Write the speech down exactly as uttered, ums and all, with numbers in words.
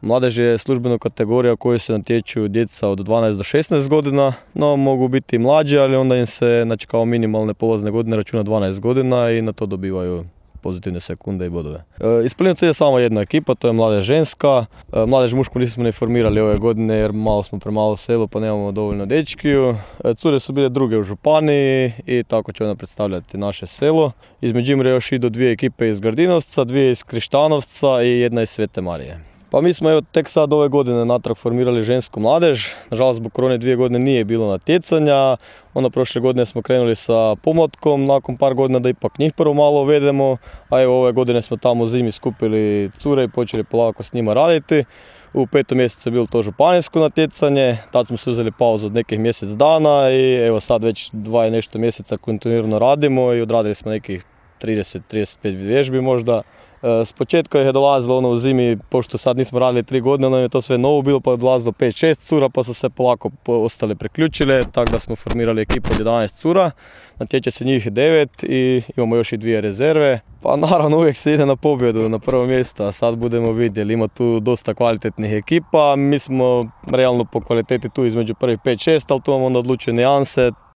Mladež je službena kategorija u kojoj se natječu djeca od dvanaest do šesnaest godina, no mogu biti i mlađi, ali onda im se, znači, kao minimalne polazne godine računa dvanaest godina i na to dobivaju pozitivne sekunde i bodove. E, iz Plinovaca je samo jedna ekipa, to je Mladež ženska. E, Mladež mušku nismo ne formirali ove godine jer malo smo premalo selo pa nemamo dovoljno dečkiju. E, cure su bile druge u županiji i tako će ona predstavljati naše selo. Iz Međimurja još idu dvije ekipe iz Gardinovca, dvije iz Krištanovca i jedna iz Svete Marije. Pa mi smo evo tek sad ove godine natrag formirali žensku mladež. Nažalost, zbog korone dvije godine nije bilo natjecanja. Onda prošle godine smo krenuli sa pomlatkom, nakon par godina da ipak njih prvo malo uvedemo. A evo ove godine smo tamo u zimi skupili cure i počeli polako s njima raditi. U petom mjesecu je bilo to županijsko natjecanje, tad smo se uzeli pauzu od nekih mjesec dana i evo sad već dva i nešto mjeseca kontinuirano radimo i odradili smo nekih trideset do trideset pet vježbi možda. S početka je dolazilo ono u zimi, pošto sad nismo radili tri godine, nam je to sve novo bilo, pa je dolazilo pet šest cura, pa su se polako ostale priključile, tako da smo formirali ekipu od jedanaest cura. Natječe se njih devet i imamo još i dvije rezerve. Pa naravno uvijek se ide na pobjedu, na prvo mjesto, a sad budemo vidjeli. Ima tu dosta kvalitetnih ekipa, mi smo realno po kvaliteti tu između prvih pet šest, ali tu vam onda odlučuju nijanse.